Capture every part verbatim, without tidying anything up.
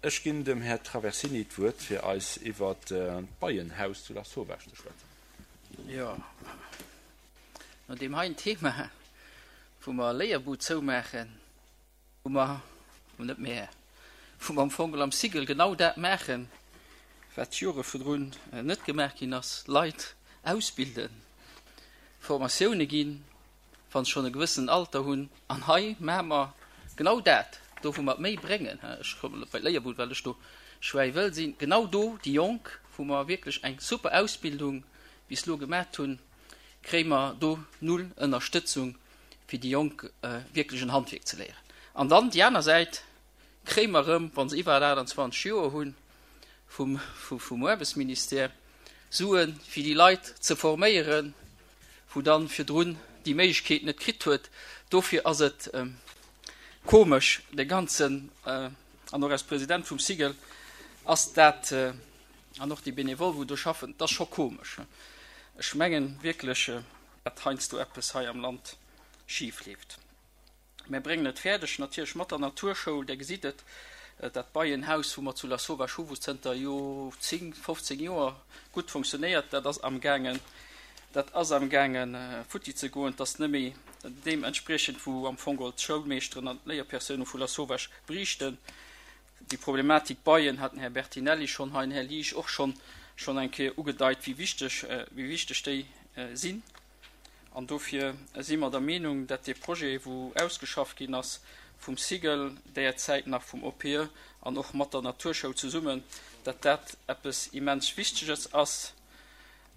Ech ginn dem Här Traversini d'Wuert, fir eis iwwert d'Beienhaus zu Lasauvage ze schwätzen. Jo, no deem heien Thema, wou mer Léierbud zoumaachen, wou mer, net mer, wou mer am Fong am Cigl genau dat maachen, wat d'Jore virdrun net gemaach ginn ass, Leit ausbilden, Formatioune ginn, wa se schonn e gewëssenen Alter hunn. An hei maache mer genau dat, do wou mer méi bréngen, ech kommen elo bei d'Léierbud, well ech do schwäi wëll sinn, genau do déi Jonk, wou mer wierklech eng super Ausbildung bis elo gemaacht hunn, kréie mer do null Ënnerstëtzung, fir déi Jonk wierklech en Handwierk ze léieren. An dann déi aner Säit kréie mer erëm, wa se iwwer achtundzwanzeg Joer hunn, vum, vum Aarbechtsministère Suen, fir déi Leit ze forméieren, wou dann virdrun déi Méiglechkeet net kritt huet. Dofir ass et komesch, de ganzen, an och als President vum Cigl ass dat, an och déi Benevole wou do schaffen, dat ass scho komesch. Ech mengen wierklech, datt heiansdo eppes hei am Land schif leeft. Mär bréngen et fäerdeg, natierlech mat der Naturschoul, Där gesitt et, dat Beienhaus, wou mer zu Lasauvage hu, wou zënter, jo, zéng, fofzéng Joer gutt fonctionnéiert, dat ass amgaangen, dat ass amgaange futti ze goen. Et ass net méi deementspriechend, wou am Fong geholl d'Schoulmeeschteren an d'Léierpersoune vu Lasauvage beriichten. Déi Problematik Beien hat den Här Bertinelli schonn hei, den Här Liesch och schonn, schonn eng Kéier ugedeit, wéi wichteg, wéi wichteg déi sinn. An dofir si mer der Meenung, dat dee Projet, wou ausgeschafft ginn ass vum Cigl, derzäit nach vum O P E an och mat der Naturschoul zesummen, dat dat eppes immens Wichteges ass,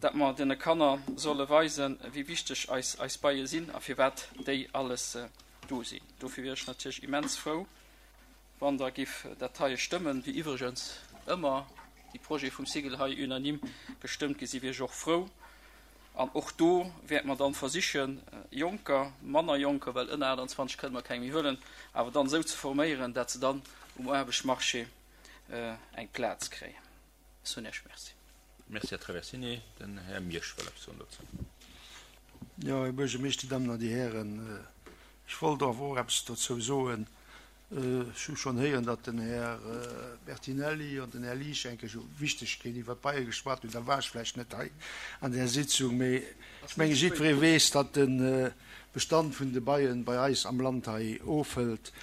dat mer deene Kanner solle weisen, wéi wichteg eis eis Beie sinn a firwat déi alles do sinn. Dofir wier ech natierlech immens frou, wann Der giff dat heie stëmmen, wéi iwwregens ëmmer déi Projete vum Cigl hei unanime gestëmmt gi sinn, wier ech och frou. An och do wäerte mer dann versichen, Jonker, manner Jonker, well ënner aachtanzwanzeg kënne mer keng méi huelen, awer dann esou ze forméieren, dat se dann um Aarbechtsmarché eng Plaz kréien. Ech soen Iech Merci. Merci, Här Traversini. Den Här Miersch wëll eppes soen dozou. Jo, Här Buergermeeschter, Dir Dammen an Dir Hären, ech wollt awer och eppes dozou soen. Ech hu schonn héieren, datt den Här Bertinelli an den Här Liesch eng Kéier Wichtegkeet iwwer d'Beie geschwat hunn. Da war ech vläicht net hei an där Sitzung, mee ech menge jiddweree weess, datt de Bestand vun de Beien bei eis am Land hei ofhëlt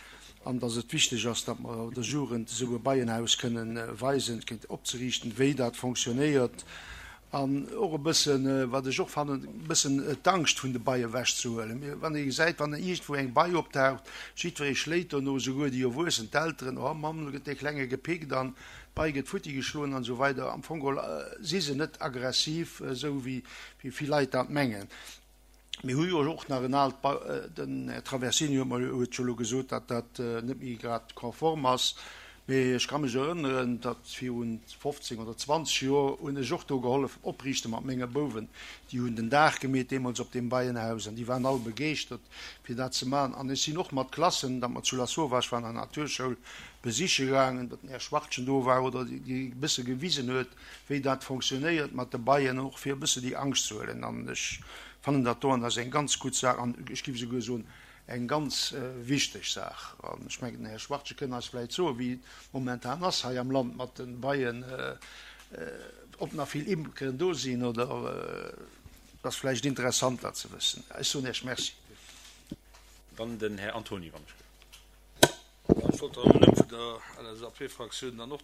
an datt et wichteg ass, datt mer der Jugend esou e Beienhaus kënnen weisen, kéint opzeriichten, wéi dat fonctionnéiert an och e bëssen, wat ech och fannen, e bëssen d'Angscht vun de Bei ewechzehuelen. Wann ee gesäit, wann iergendwou eng Bei optaucht, jiddweree schléit dono, esouguer déi Erwuessen, d'Elteren, oh Mamm, elo gëtt dee Klenge gepickt an d'Bei gëtt futti geschloen an esou weider. Am Fong geholl si se net aggressiv, esou wéi vill Leit dat mengen. Mir hu jo och nach en aalt, den Här Traversini huet mer huet jo elo gesot, datt dat net méi grad konform ass, mee ech ka mech erënneren, datt virun fofzéng oder zwanzeg Joer hunn ech och do gehollef opriichte mat menge Bouwen. Déi hunn den Daach gemeet deemools op deem Beienhaus an déi waren all begeeschtert fir dat ze maachen. An ech sinn och mat Klassen, datt mer zu Lasauvage waren an der Naturschoul, besiche gaangen, datt den Här Schwartgen do war oder déi e bësse gewisen huet, wéi dat fonctionnéiert mat de Beien, och fir e bësse déi Angscht ze huelen. An ech fannen dat do, an dat ass eng ganz gutt Saach an ech géif esouguer soen, eng ganz wichteg Saach. An ech mengen, den Här Schwartgen kënn eis vläicht soen, wéi et momentan ass hei am Land mat de Beien, ob nach vill Imkeren do sinn oder. Et ass vläicht interessant, dat ze wëssen. Ech soen Iech Merci. Dann den Här Antoni, wann ech. Ech wollt am Numm vun der L S A P-Fraktioun dann och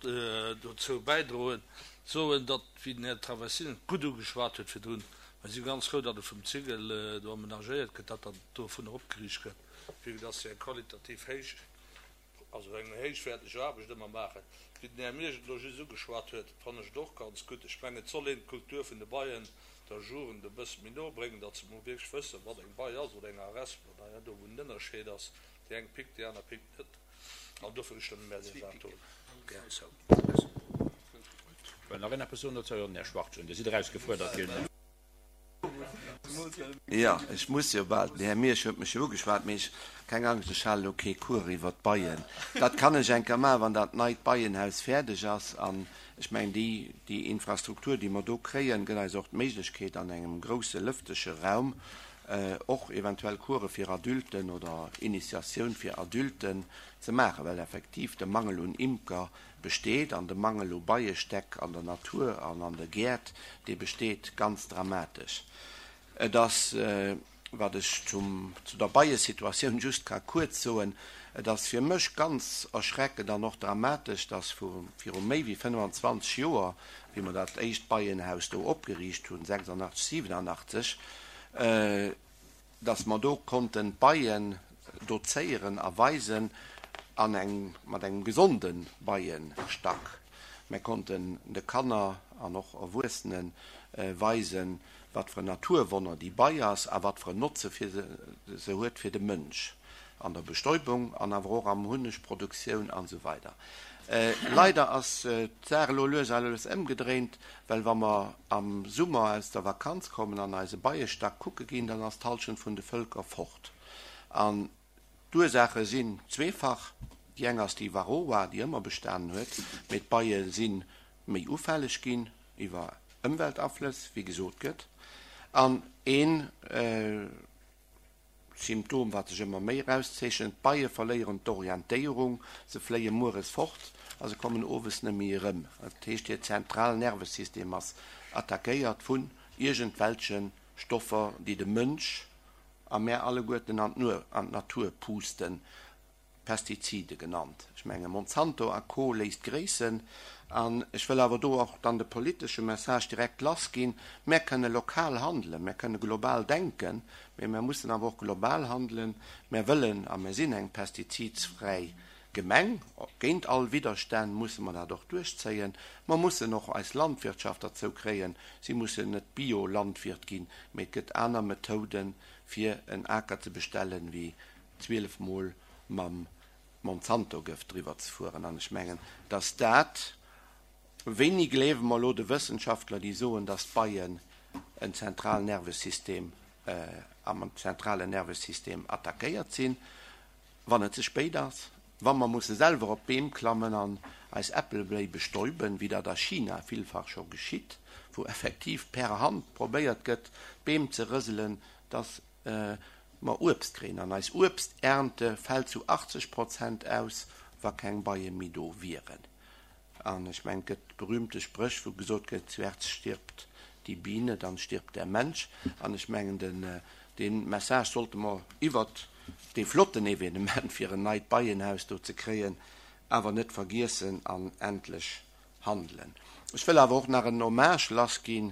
dozou bäidroen, soen, datt, wéi den Här Traversini et gutt ugeschwat huet virdrun, mer si ganz frou, datt et vum Cigl do amenagéiert gëtt, datt dat dovunner opgeriicht gëtt, vue que dass se eng qualitativ héich, also eng héichwäerteg Aarbecht ëmmer maachen. Wéi den Här Miersch et elo just ugeschwat huet, fannen ech et och ganz gutt. Ech mengen, et soll een d'Kultur vun de Beien der Jugend e bësse méi no bréngen, datt se mol wierklech wëssen, wat eng Bei ass oder eng Aresp oder do wou den Ënnerscheed ass. Déi eng pickt, déi aner pickt net. An dofir stëmme mär déi Saach do gär zou. Well nach een eppes soen dozou? Jo, den Här Schwartgen, Dir sidd erausgefuerdert ginn. Jo, ech muss jo bal. Den Här Miersch huet mech jo ugeschwat, mee ech, keng Angscht, ech halen elo kee Cours iwwert d'Beien. Dat kann ech eng Kéier maachen, wann dat neit Beienhaus fäerdeg ass. An ech mengen, déi, déi Infrastruktur, déi mer do kréien, gëtt eis och d'Méiglechkeet, an engem grousse lëftege Raum och eventuell Course fir Adulten oder Initiatioun fir Adulten ze maachen, well effektiv de Mangel un Imker besteet an de Mangel u Beiestäck an der Natur an an de Gäert, dee besteet ganz dramatesch. Et ass, wat ech zum, zu der Beiesituatioun just ka kuerz soen, et ass fir mech ganz erschreckend an och dramatesch, dass vu viru méi wéi fënnwanzwanzeg Joer, wéi mer dat éischt Beienhaus do opgeriicht hunn, sechsundachtzeg, siebenundachtzeg, dass mer do konnten d'Beien dozéieren a weisen an eng, mat engem gesonde Beienstack. Mer konnten de Kanner an och Erwuessene weisen, wat fir en Naturwonner déi Bei ass a wat fir en Notze fir se, se huet fir de Mënsch an der Bestäubung an awer och am Hunnegproduktioun an esou weider. Leider ass d'Saach elo lues a lues ëmgedréint, well wa mer am Summer aus der Vakanz kommen an eise Beiestack kucke ginn, dann ass d'Hallschent vun de Vëlker fort. An d'Ursaache sinn zweefach. Déi eng ass déi Varroa, déi ëmmer bestanen huet, mee d'Beie si méi ufälleg ginn iwwer Ëmweltaflëss, wéi gesot gëtt. An een Symptom, wat sech ëmmer méi erauszeechent, d'Beie verléieren d'Orientéierung, se fléie mueres fort a se kommen owes net méi erëm. Dat heescht, hiert Zentralnervesystem ass attackéiert vun iergendwelche Stoffer, déi de Mënsch a mär alleguerten an d'Natur pusten, Pestizide genannt. Ech menge Monsanto a Co. Léisst gréissen. An ech wëll awer do och dann de politesche Message direkt lassginn, Mär kënne lokal handelen, mär kënne global denken, mee mär mussen awer och global handelen. Mär wëllen a mär sinn eng pestizidsfräi Gemeng. Géint all Widderstänn musse mer dat och duerchzéien. Mer mussen och eis Landwirtschaft derzou kréien, si mussen net Biolandwirt ginn, mee et gëtt aner Methoden, fir en Aker ze bestellen, wéi zwielef Mol mam Monsanto-Gëft driwwer ze fueren. An ech mengen, dass dat, wéini gleewe mer elo de Wëssenschaftler, déi soen, dass d'Beien en Zentralnervesystem, am zentralen Nervesystem attackéiert sinn, wann et ze spéit ass, wa mer musse selwer op d'Beem klammen an eis Äppelbléi bestäuben, wéi dat a China villfach scho geschitt, wou effektiv per Hand probéiert gëtt, d'Beem ze rëselen, dass mer Uebst kréien. An eis Uebsternte fält zu achtzeg Prozent aus, wa keng Beie méi do wieren. An ech mengen, et gëtt berühmte Spréch, wou gesot gëtt, Zuerst stirbt die Biene, dann stirbt der Mensch. An ech mengen, den, dee Message sollte mer iwwert dee flotten Evenement, fir en neit Beienhaus do ze kréien, awer net vergiessen an endlech handelen. Ech wëll awer och nach en Hommage lassginn.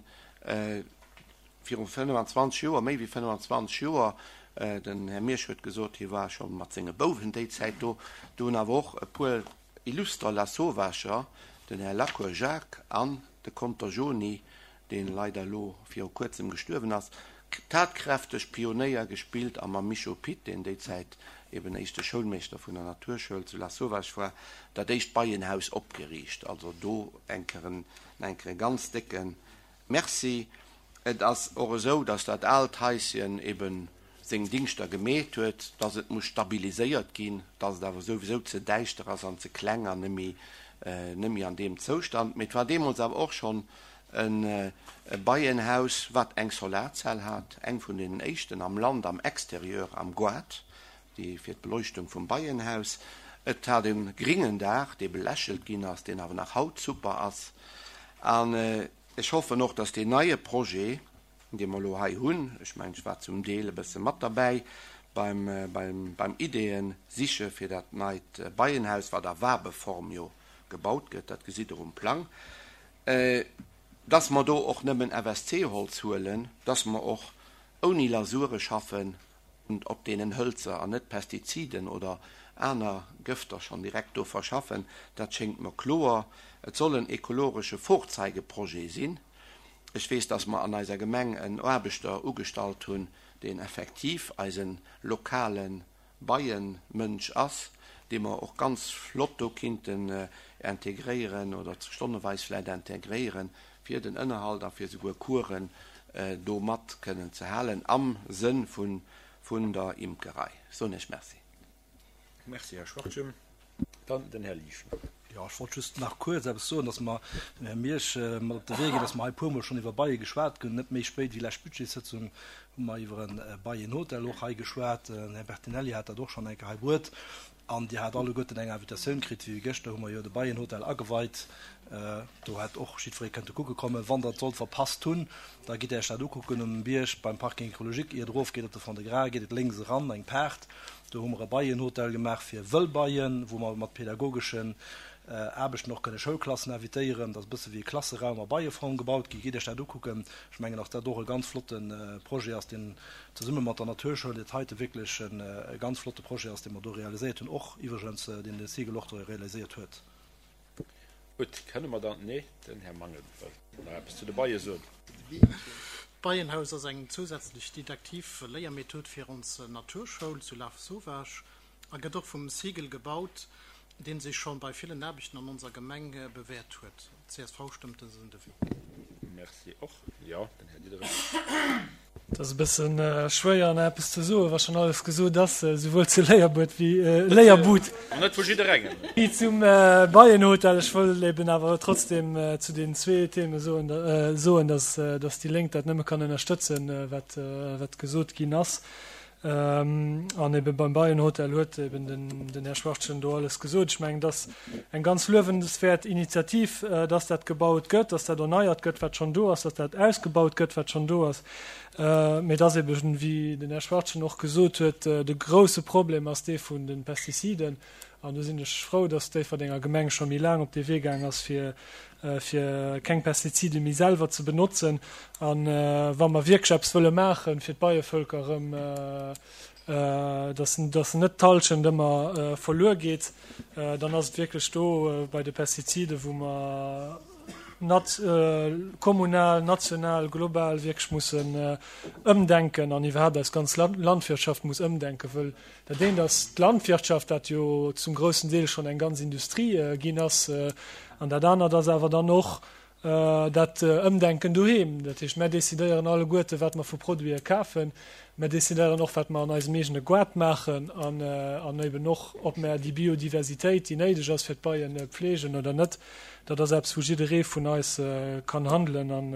Viru fënnefanzwanzeg Joer, méi wéi fënnefanzwanzeg Joer, den Här Miersch huet gesot, hie war scho mat senge Bouwen déi Zäit do, do hunn awer och e puer illuster Lasauvagher, den Här Lacour Jacques an de Conter Joni, dee leider elo viru kuerzem gestuerwen ass, tatkräfteg Pionéier gespillt a mam Micho Pitt, deen déi Zäit eben éischte Schoulmeeschter vun der Naturschoul zu Lasauvage war, dat éischt Beienhaus opgeriicht. Also do eng Kéier eng Kéier e ganz décke Merci. Et ass och esou, dass dat aalt Haischen eben seng Dingschter gemeet huet, dass et muss stabiliséiert ginn, dass et awer souwisou ze däischter ass an ze kleng an net méi an deem Zoustand. Mee et war deemools awer och schonn e Beienhaus, wat eng Solarzell hat, eng vun deenen éischten am Land am Exterieur, am Goart, déi fir d'Beleuchtung vum Beienhaus. Et hat e gringen Daach, dee belächelt ginn ass, deen awer nach haut super ass. An ech hoffen och, dass deen neie Projet, dee mer elo hei hunn, ech mengen, ech war zum Deel e bësse mat derbäi beim, beim, beim Ideeën siche fir dat neit Beienhaus, wat a Wabeform jo gebaut gëtt, dat gesitt Der um Plang, dass mer do och nëmmen F S C-Holz huelen, dass mer och ouni Lasure schaffen und op deenen Hölzer an net Pestiziden oder aner Gëfter schonn direkt do verschaffen, dat schéngt mer kloer. Et soll en ekologesche Vorzeigeprojet sinn. Ech weess, dass mer an eiser Gemeng en Aarbechter ugestallt hunn, deen effektiv eisen lokale Beienmënsch ass, dee mer och ganz flott do kinnten integréieren oder stonneweis vläicht integréieren, fir den Ënnerhalt a fir souguer Coursen do mat kënnen ze halen am Sënn vun, vun der Imkerei. Soen ech Merci. Merci, Herr Schwartgen. Dann den Herr Lieschen. Jo, ech wollt just nach kuerz eppes soen, dass mer dem Här Miersch mat op de Wee ginn, dass mer hei e puermol schonn iwwer Beie geschwat hunn. Net méi spéit wéi lescht Budgetssëtzung hu mer iwwer e Beienhotel och hei geschwat. Den Här Bertinelli hat dat och schonn eng Kéier hei bruet. An Dir hat alleguerten eng Invitatioun kritt, wéi gëschter hu mer jo de Beienhotel ageweit. Do hätt och jiddweree kënnte kucke kommen. Wann Der et sollt verpasst hunn, da gitt Iech dat ukucken um Bierg beim Parking écologique. Ier et erofgeet op de Fond-de-Gras, geet et lénks eran, eng Paart. Do hu mer e Beienhotel gemaach fir Wëllbeien, wou mer mat pädagogeschen Aarbechten och kënne Schoulklassen invitéieren. Dat ass e bësse wéi e Klasseraum a Beieform gebaut gi. Gitt Iech dat ukucken. Ech mengen, dass dat och e ganz flotte Projet ass, deen zesumme mat der Naturschoul, dat heite wierklech e ganz flotte Projet ass, dee mer do realiséiert hunn, och iwwregens deen de Sigel och do realiséiert huet. Gutt, kënne mer dann, nee, den Här Mangen wëllt nach eppes zu de Beie soen. D'Beienhaus ass eng zousätzlech didaktiv Léiermethod fir ons Naturschoul zu Lafe-Sauvage a gëtt och vum Sigel gebaut, dee sech scho bei villen Aarbechten an onser Gemeng bewäert huet. Csv stëmmt dësen Devis. Merci och. Jo, den Här Diderich. Et ass e bësse schwéier nach eppes ze soen, wa schonn alles gesot ass, esouwuel zu Léierbuet wéi, Léierbud. An net vu jidderengem. Wéi zum Beienhotel. Ech wëll eben awer trotzdem zu deenen zwee Theme soen, soen, dass, dass déi Lénk dat nëmme kann ënnerstëtzen, wat, wat gesot ginn ass. An ebe beim Beienhotel huet eben den, den Här Schwachtgen do alles gesot. Ech mengen, et ass eng ganz luewenswäert Initiativ, dass dat gebaut gëtt, dass dat erneiert gëtt, wat schonn do ass, dass dat ausgebaut gëtt, wat schonn do ass. Mee et ass eben, wéi den Här Schwachtgen och gesot huet, de grouse Problem ass dee vun de Pestiziden. An do sinn ech frou, dass d'Déifferdenger Gemeng scho méi laang op dee Wee gaang ass, fir, fir keng Pestizide méi selwer ze benotzen. A wa mer wierklech eppes wëlle maachen, fir d'Beievölker erëm, dass, dass net d'Hallschent ëmmer verluer geet, dann ass et wierklech do bei de Pestiziden, wou mer nat-, kommunal, national, global wierklech mussen ëmdenken an iwwerhaapt eis ganz Landwirtschaft muss ëmdenken, wëll dat eent ass d'Landwirtschaft, dat jo zum groussen Deel schonn eng ganz Industrie ginn ass, an dat anert ass awer dann och dat Ëmdenken doheem. Dat heescht, mär decidéieren alleguerte wat mer vu Produite kafen, mär decidéieren och wat mer an eisem eegene Goart maachen an an eben och ob mär déi Biodiversitéit, déi néideg ass fir d'Beien, pflegen oder net. Dat ass eppes wou jidderee vun eis kann handelen an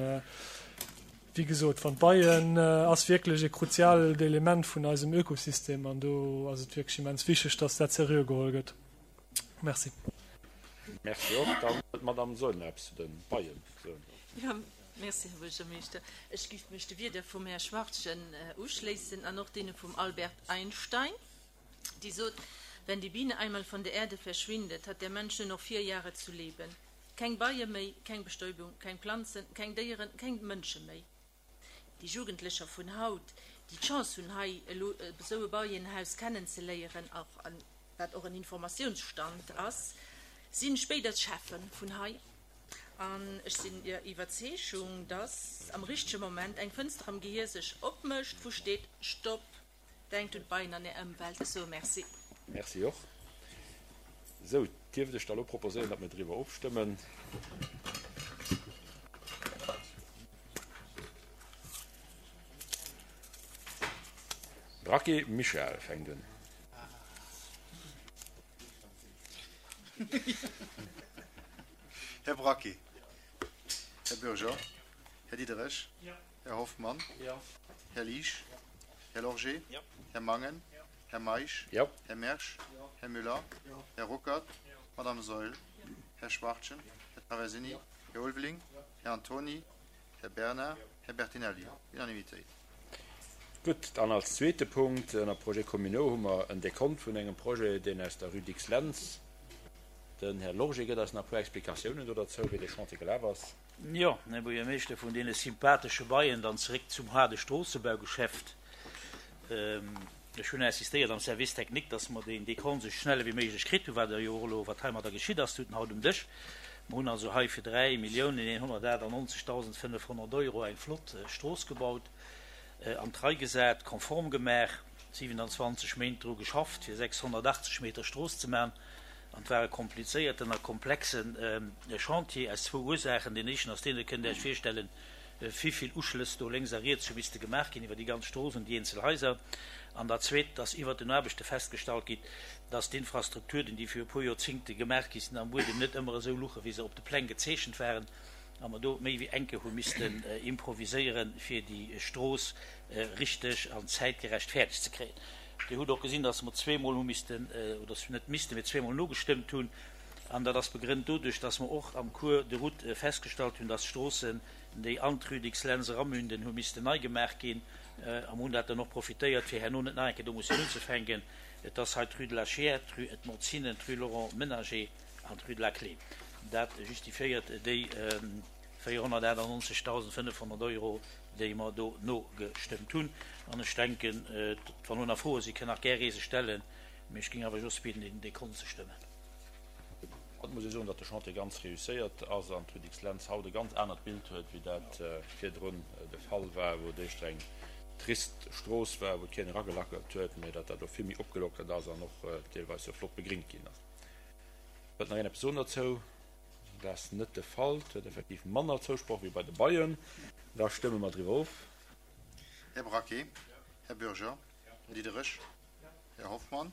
wéi gesot, wann d'Beien ass wierklech e kruziaalt Element vun eisem Ökosystem an do ass et wierklech immens wichteg, dass dat seriö geholl gëtt. Merci. Merci och. Dann huet d'Madame Saeul nach eppes zu de Beien ze soen. Jo, merci, Här Buergermeeschter. Ech géif mech de Wierder vum Här Schwachtgen uschléissen an och deene vum Albert Einstein, dee sot, Wenn die Biene einmal von der Erde verschwindet, hat der Mensch nur noch vier Jahre zu leben. Keng Beie méi, keng Bestäubung, keng Planzen, keng Déieren, keng Mënsche méi. Déi Jugendlecher vun haut, déi d'Chance hunn, hei elo esou e Beienhaus kennenzeléieren, och an wat och en Informatiounsstand ass, sinn spéider d'Cheffen vun hei. An ech sinn der Iwwerzeegung, dass am richtege Moment eng Fënster am Gehier sech opmécht, wou steet, Stopp, denkt un d'Beien an är Ëmwelt. Ech soe Merci. Merci och. Esou, dierft ech da elo proposéieren, datt mir driwwer ofstëmmen. Braquet Michel fänkt un. Här Braquet. Här Bürger. Här Diderich. Här Hoffmann. Här Liesch. Här Lorgé. Här Mangen. Här Meisch. Här Mersch. Här Müller. Här Ruckert. Madame Saeul. Här Schwachtgen. Här Traversini. Här Ulveling. Här Antony. Här Bernard. Här Bertinelli. Unanimitéit. Gutt, dann als zweete Punkt ënner Projets communaux hu mer en Dekont vun engem Projet, deen aus der Rue Dicks-Lentz. Den Här Lorgé gëtt eis nach e puer Explikatiounen do derzou, wéi dee Chantier gelaf ass. Jo, Här Buergermeeschter, vun deene sympathesche Beien dann zeréck zum haarde Stroossebaugeschäft. Ech hunn insistéiert am Service technique, dass mer deen Dekont esou schnell ewéi méiglech kritt hunn, wat der jo och elo, wat heimadder geschitt ass, tut en haut um Dësch. Mer hunn also hei fir dräi Milliounen eenhonnertachtannonzegtausend fënnefhonnert Euro eng flott Strooss gebaut. an d'Rei gesat, konform gemaach, siwenanzwanzeg Méint dru geschafft, fir sechshonnertachtzeg Meter Strooss ze man. An et war e komplizéierten a komplexe Chantier aus zwou Ursaachen. Deen éischten ass deen, dat kënnt Der Iech virstellen, wivill Uschlëss do lénks a riets hu misste gemaach ginn iwwer déi ganz Strooss un déi eenzel Haiser. An dat Zweet, dass iwwert den Aarbechte festgestallt gitt, dass d'Infrastrukturen, déi fir e puer Joerzingte gemaach gi sinn, am Buedem net ëmmer esou luche wéi se op de Pläng gezeechent waren, a mer do méi wéi eng Kéier hu missten improviséieren, fir déi Strooss richteg an zäitgerecht fäerdeg ze kréien. Dir hutt och gesinn, dass mer zweemol hu missten, oder net missten, mee zweemol nogestëmmt hunn, an dat ass begrënnt doduerch, dass mer och am Cours de route festgestallt hunn, dass d'Stroossen, déi an d'Rue Dicks-Lentz eramünden, hu missten nei gemaach ginn, a mer hunn dat dann och profitéiert, fir herno net nach eng Kéier do mussen unzefänken. Et ass hei d'Rue de la Chiers, d'Rue Edmond Zinnen, d'Rue Laurent Menager an d'Rue de la Clé. Dat justifiéiert déi véierhonnertachtannonzegdausendfënnefhonnert Euro, déi mer do nogestëmmt hunn. An ech denken, wann elo nach Froe sinn, kënnt nach gär ee se stellen, mee ech géing awer just bieden, deen Dekont ze stëmmen. Haut muss ee soen, datt de Chantier ganz reusséiert ass an d'Rue Dicks-Lentz haut e ganz anert Bild huet, wéi dat virdrun de Fall war, wou et éischter eng trist Strooss war, wou keen eragelackelt huet, mee datt dat elo vill méi opgelockert ass an och deelweis jo flott begringt ginn ass. Wëllt nach een eppes soen dozou? Dat ass net de Fall. Et huet effektiv manner Zousproch wéi bei de Beien. Da stëmme mer driwwer of. Här Braquet? Här Bürger? Här Diderich? Här Hoffmann?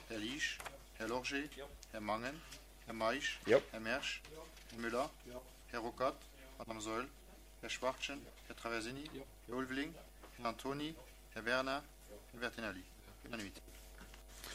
Här Liesch? Här Lorgé? Här Mangen? Här Meisch? Här Mersch? Här Müller? Här Ruckert? Madame Saeul? Här Schwachtgen? Här Traversini? Här Ulveling? Här Antoni? Här Bernard? Här Bertinelli? Unanimité.